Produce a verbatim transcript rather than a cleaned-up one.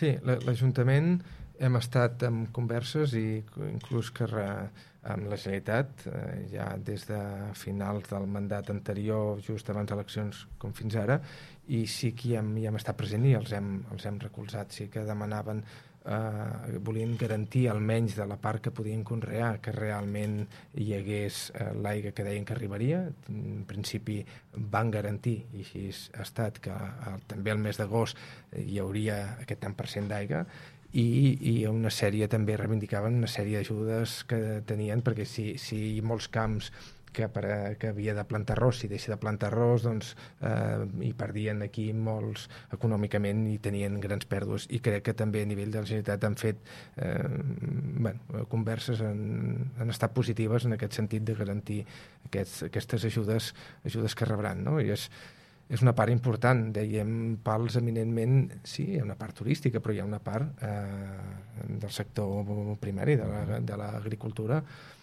Sí, l'Ajuntament hem estat en converses i inclús que re, amb la Generalitat, eh, ja des de finals del mandat anterior, just abans d'eleccions com fins ara, i sí que hi hem, hi hem estat present i els hem, els hem recolzat. Sí que demanaven, eh, volien garantir almenys de la part que podien conrear que realment hi hagués eh, l'aigua que deien que arribaria. En principi van garantir, i així ha estat, que el, també el mes d'agost hi hauria aquest tant per cent d'aigua, i, i una sèrie també reivindicaven una sèrie d'ajudes que tenien, perquè si, si molts camps que, per, que havia de plantar arròs, si deixa de plantar arròs, doncs eh, hi perdien aquí molts econòmicament i tenien grans pèrdues, i crec que també a nivell de la Generalitat han fet eh, bueno, converses han, han estat positives en aquest sentit de garantir aquests, aquestes ajudes ajudes que rebran, no? I és és una part important, dèiem Pals eminentment, sí, hi ha una part turística, però hi ha una part eh, del sector primari, de l'agricultura, la,